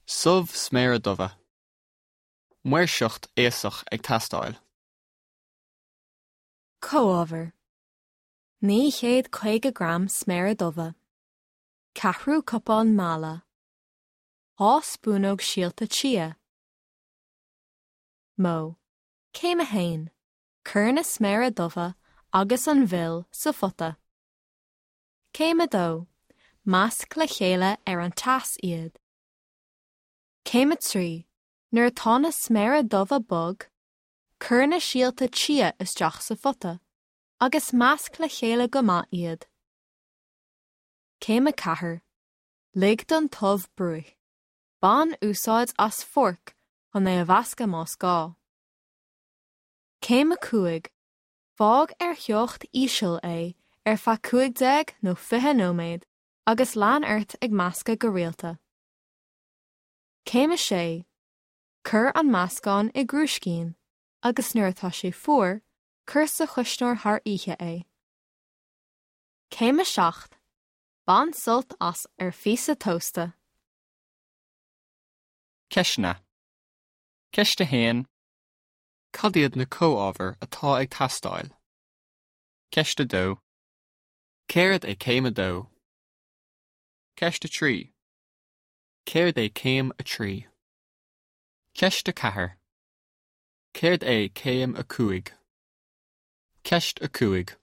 Subh sméara dubha. Maoirseacht aosach ag teastáil. Comhábhair, 950 gram sméara dubha, ceathrú cupán meala, 2 spúnóg síolta chia. Modh, Céim 1, Cuir na sméara dubha agus an mhil sa phota. Céim 2, Measc le chéile ar an teas iad. Céim 3, Nuair atá na sméara dubha bog, cuir na síolta chia isteach sa phota agus measc le chéile go maith iad. Céim 4, Lig don t-ubh bruith. Bain úsáid as forc chun é a mheascadh más gá. Céim 5, Fág ar theocht íseal é ar feadh 15 nó 20 nóiméad agus lean ort ag meascadh go rialta. Céim 6, Cuir an meascán i gcrúiscín agus nuair atá sé fuar, cuir sa chuisneoir thar oíche é. Céim 7, Bain sult as ar phíosa tósta. Ceisteanna. Ceist 1. Cad iad na comhábhair atá ag teastáil? Ceist 2. Céard é céim 2? Ceist 3. Céard é céim 3? Ceist 4. Céard é céim 5? Ceist 5.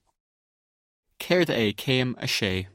Céard é céim 6?